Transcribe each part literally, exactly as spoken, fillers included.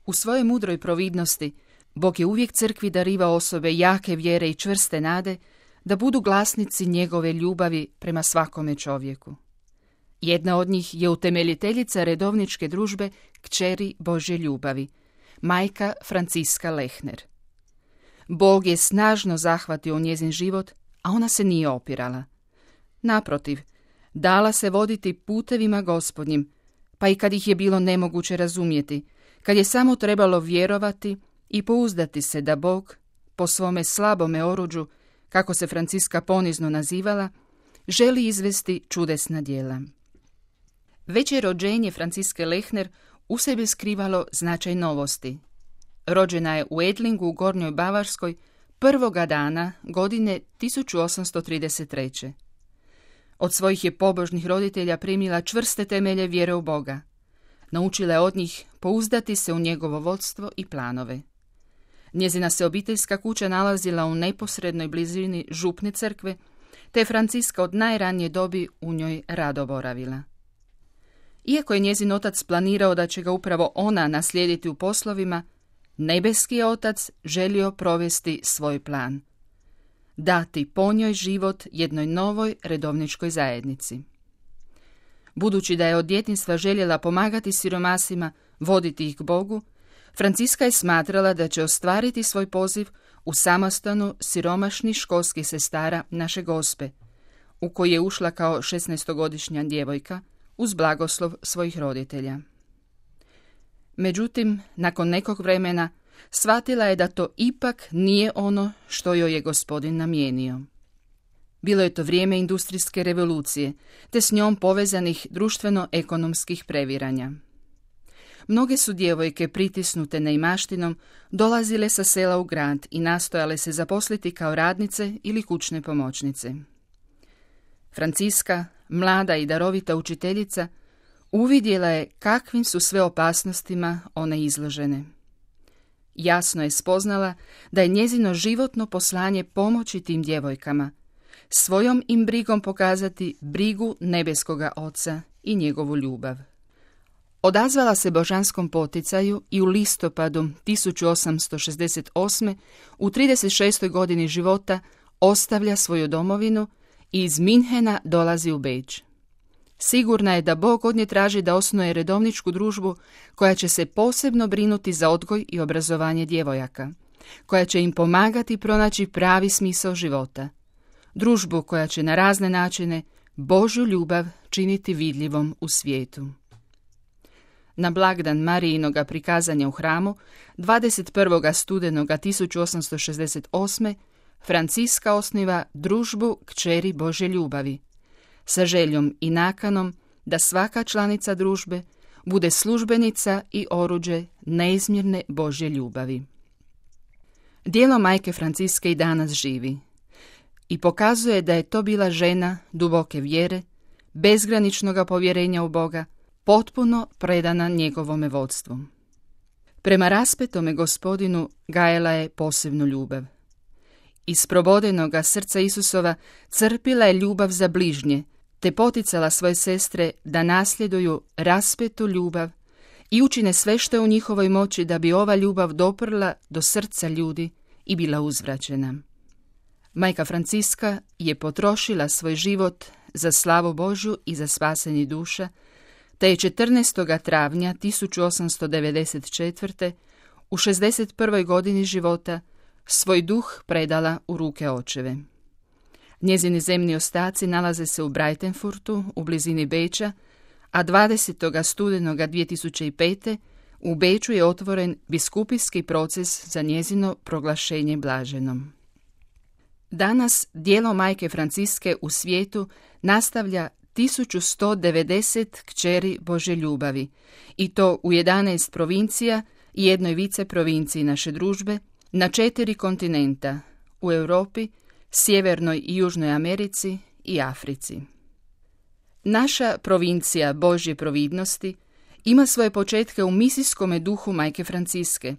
U svojoj mudroj providnosti Bog je uvijek crkvi darivao osobe jake vjere i čvrste nade da budu glasnici njegove ljubavi prema svakome čovjeku. Jedna od njih je utemeljiteljica redovničke družbe Kćeri Božje ljubavi, majka Franciska Lehner. Bog je snažno zahvatio u njezin život, a ona se nije opirala. Naprotiv, dala se voditi putevima Gospodnjim, pa i kad ih je bilo nemoguće razumjeti, kad je samo trebalo vjerovati i pouzdati se da Bog, po svome slabome oruđu, kako se Franciska ponizno nazivala, želi izvesti čudesna djela. Već je rođenje Franciske Lehner u sebi skrivalo značaj novosti. Rođena je u Edlingu u Gornjoj Bavarskoj prvoga dana godine tisuću osamsto trideset treće. Od svojih je pobožnih roditelja primila čvrste temelje vjere u Boga. Naučila je od njih pouzdati se u njegovo vodstvo i planove. Njezina se obiteljska kuća nalazila u neposrednoj blizini župne crkve, te je Franciska od najranije dobi u njoj rado boravila. Iako je njezin otac planirao da će ga upravo ona naslijediti u poslovima, nebeski je otac želio provesti svoj plan. Dati po njoj život jednoj novoj redovničkoj zajednici. Budući da je od djetinjstva željela pomagati siromasima, voditi ih k Bogu, Franciska je smatrala da će ostvariti svoj poziv u samostanu siromašnih školskih sestara Naše Gospe, u koji je ušla kao šesnaestogodišnja djevojka uz blagoslov svojih roditelja. Međutim, nakon nekog vremena shvatila je da to ipak nije ono što joj je Gospodin namijenio. Bilo je to vrijeme industrijske revolucije, te s njom povezanih društveno-ekonomskih previranja. Mnoge su djevojke pritisnute neimaštinom dolazile sa sela u grad i nastojale se zaposliti kao radnice ili kućne pomoćnice. Franciska, mlada i darovita učiteljica, uvidjela je kakvim su sve opasnostima one izložene. Jasno je spoznala da je njezino životno poslanje pomoći tim djevojkama, svojom im brigom pokazati brigu nebeskoga Oca i njegovu ljubav. Odazvala se božanskom poticaju i u listopadu tisuću osamsto šezdeset osme u trideset šestoj godini života ostavlja svoju domovinu i iz Minhena dolazi u Beč. Sigurna je da Bog od nje traži da osnuje redovničku družbu koja će se posebno brinuti za odgoj i obrazovanje djevojaka, koja će im pomagati pronaći pravi smisao života. Družbu koja će na razne načine Božju ljubav činiti vidljivom u svijetu. Na blagdan Marijinoga prikazanja u hramu, dvadeset prvog studenoga tisuću osamsto šezdeset osme Franciska osniva družbu Kćeri Božje ljubavi, sa željom i nakanom da svaka članica družbe bude službenica i oruđe neizmjerne Božje ljubavi. Djelo majke Franciske i danas živi i pokazuje da je to bila žena duboke vjere, bezgraničnoga povjerenja u Boga, potpuno predana njegovome vodstvu. Prema raspetome Gospodinu gajela je posebnu ljubav. Iz probodenoga srca Isusova crpila je ljubav za bližnje, te poticala svoje sestre da nasljeduju raspetu ljubav i učine sve što je u njihovoj moći da bi ova ljubav doprla do srca ljudi i bila uzvraćena. Majka Franciska je potrošila svoj život za slavu Božju i za spasenje duša, te je četrnaestog travnja tisuću osamsto devedeset četvrte u šezdeset prvoj godini života svoj duh predala u ruke očeve. Njezini zemni ostaci nalaze se u Breitenfurtu, u blizini Beča, a dvadesetog studenoga dvije tisuće pete u Beču je otvoren biskupijski proces za njezino proglašenje blaženom. Danas djelo majke Franciske u svijetu nastavlja tisuću sto devedeset kćeri Božje ljubavi, i to u jedanaest provincija i jednoj vice provinciji naše družbe, na četiri kontinenta, u Europi, Sjevernoj i Južnoj Americi i Africi. Naša provincija Božje providnosti ima svoje početke u misijskome duhu majke Franciske,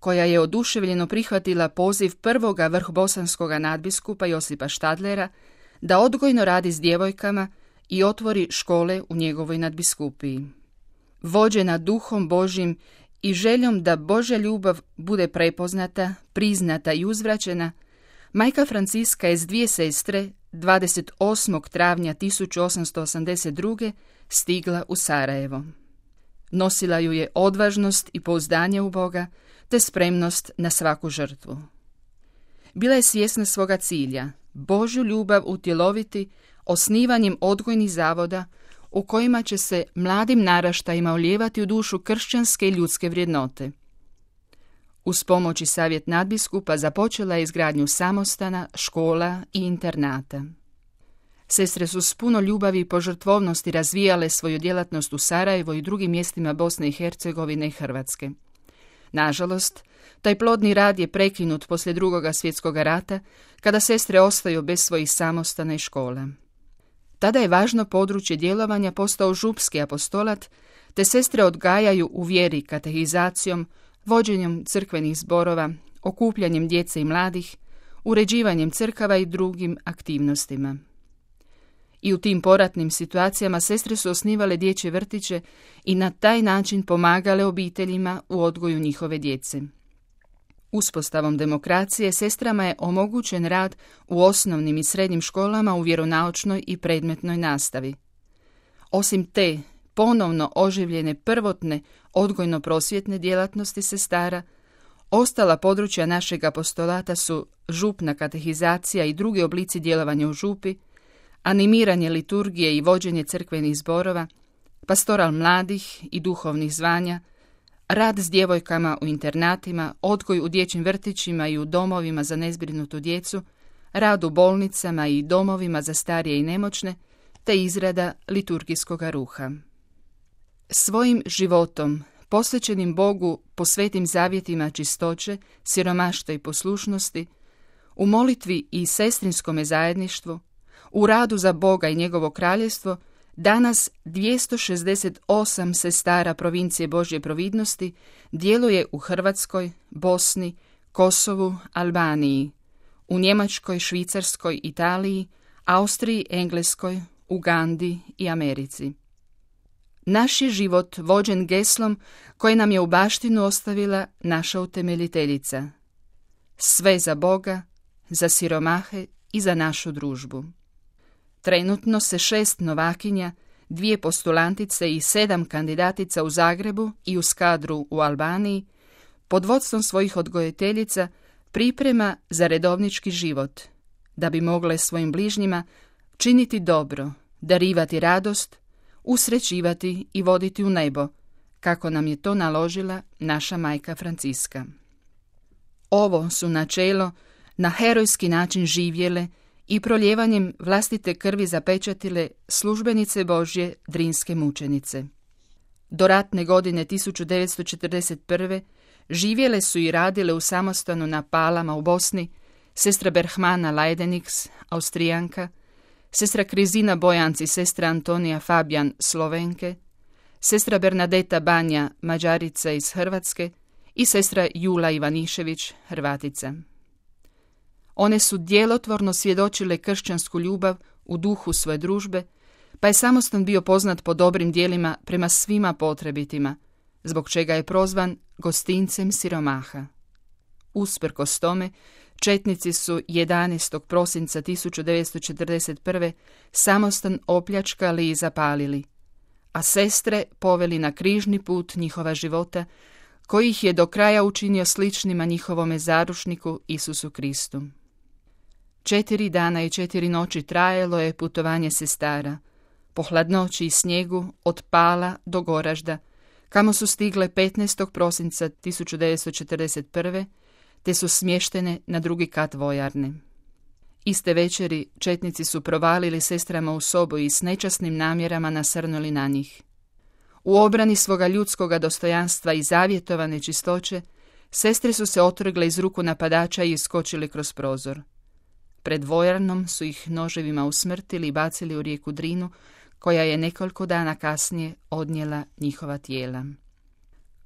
koja je oduševljeno prihvatila poziv prvoga vrhbosanskoga nadbiskupa Josipa Štadlera da odgojno radi s djevojkama i otvori škole u njegovoj nadbiskupiji. Vođena duhom Božjim i željom da Božja ljubav bude prepoznata, priznata i uzvraćena, majka Franciska je s dvije sestre dvadeset osmog travnja tisuću osamsto osamdeset druge stigla u Sarajevo. Nosila ju je odvažnost i pouzdanje u Boga, te spremnost na svaku žrtvu. Bila je svjesna svoga cilja, Božju ljubav utjeloviti osnivanjem odgojnih zavoda u kojima će se mladim naraštajima ulijevati u dušu kršćanske i ljudske vrijednote. Uz pomoć i savjet nadbiskupa započela je izgradnju samostana, škola i internata. Sestre su s puno ljubavi i požrtvovnosti razvijale svoju djelatnost u Sarajevo i drugim mjestima Bosne i Hercegovine i Hrvatske. Nažalost, taj plodni rad je prekinut poslije Drugoga svjetskog rata, kada sestre ostaju bez svojih samostana i škola. Tada je važno područje djelovanja postao župski apostolat, te sestre odgajaju u vjeri katehizacijom, vođenjem crkvenih zborova, okupljanjem djece i mladih, uređivanjem crkava i drugim aktivnostima. I u tim poratnim situacijama sestre su osnivale dječje vrtiće i na taj način pomagale obiteljima u odgoju njihove djece. Uspostavom demokracije sestrama je omogućen rad u osnovnim i srednjim školama u vjeronaučnoj i predmetnoj nastavi. Osim te ponovno oživljene prvotne odgojno-prosvjetne djelatnosti sestara, ostala područja našeg apostolata su župna katehizacija i drugi oblici djelovanja u župi, animiranje liturgije i vođenje crkvenih zborova, pastoral mladih i duhovnih zvanja, rad s djevojkama u internatima, odgoj u dječjim vrtićima i u domovima za nezbrinutu djecu, rad u bolnicama i domovima za starije i nemoćne, te izrada liturgijskog ruha. Svojim životom, posvećenim Bogu po svetim zavjetima čistoće, siromaštva i poslušnosti, u molitvi i sestrinskome zajedništvu, u radu za Boga i njegovo kraljevstvo, danas dvjesto šezdeset osam sestara provincije Božje providnosti djeluje u Hrvatskoj, Bosni, Kosovu, Albaniji, u Njemačkoj, Švicarskoj, Italiji, Austriji, Engleskoj, Ugandi i Americi. Naš je život vođen geslom koje nam je u baštinu ostavila naša utemeljiteljica. Sve za Boga, za siromahe i za našu družbu. Trenutno se šest novakinja, dvije postulantice i sedam kandidatica u Zagrebu i u Skadru u Albaniji, pod vodstvom svojih odgojiteljica priprema za redovnički život, da bi mogle svojim bližnjima činiti dobro, darivati radost, usrećivati i voditi u nebo, kako nam je to naložila naša majka Franciska. Ovo su načelo na herojski način živjele i proljevanjem vlastite krvi zapečatile službenice Božje drinske mučenice. Do ratne godine tisuću devetsto četrdeset prve živjele su i radile u samostanu na Palama u Bosni sestra Berhmana Lajdenix, Austrijanka, sestra Krizina Bojanci, sestra Antonija Fabijan, Slovenke, sestra Bernadeta Banja, Mađarica iz Hrvatske i sestra Jula Ivanišević, Hrvatica. One su djelotvorno svjedočile kršćansku ljubav u duhu svoje družbe, pa je samostan bio poznat po dobrim djelima prema svima potrebitima, zbog čega je prozvan gostincem siromaha. Usprkos tome, četnici su jedanaestog prosinca tisuću devetsto četrdeset prve samostan opljačkali i zapalili, a sestre poveli na križni put njihova života, koji ih je do kraja učinio sličnima njihovome zarušniku Isusu Kristu. Četiri dana i četiri noći trajalo je putovanje sestara, po hladnoći i snijegu od Pala do Goražda, kamo su stigle petnaestog prosinca tisuću devetsto četrdeset prve, te su smještene na drugi kat vojarne. Iste večeri četnici su provalili sestrama u sobu i s nečasnim namjerama nasrnuli na njih. U obrani svoga ljudskoga dostojanstva i zavjetovane čistoće, sestre su se otrgle iz ruku napadača i iskočili kroz prozor. Pred vojarnom su ih noževima usmrtili i bacili u rijeku Drinu, koja je nekoliko dana kasnije odnijela njihova tijela.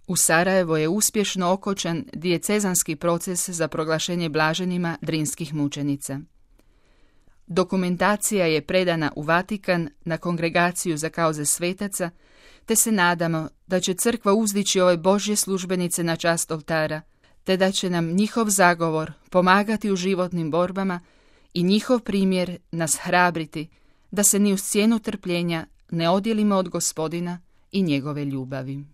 U Sarajevo je uspješno okončan dijecezanski proces za proglašenje blaženima drinskih mučenica. Dokumentacija je predana u Vatikan na Kongregaciju za kauze svetaca, te se nadamo da će crkva uzdići ove Božje službenice na čast oltara, te da će nam njihov zagovor pomagati u životnim borbama i njihov primjer nas hrabriti da se ni uz cijenu trpljenja ne odjelimo od Gospodina i njegove ljubavi.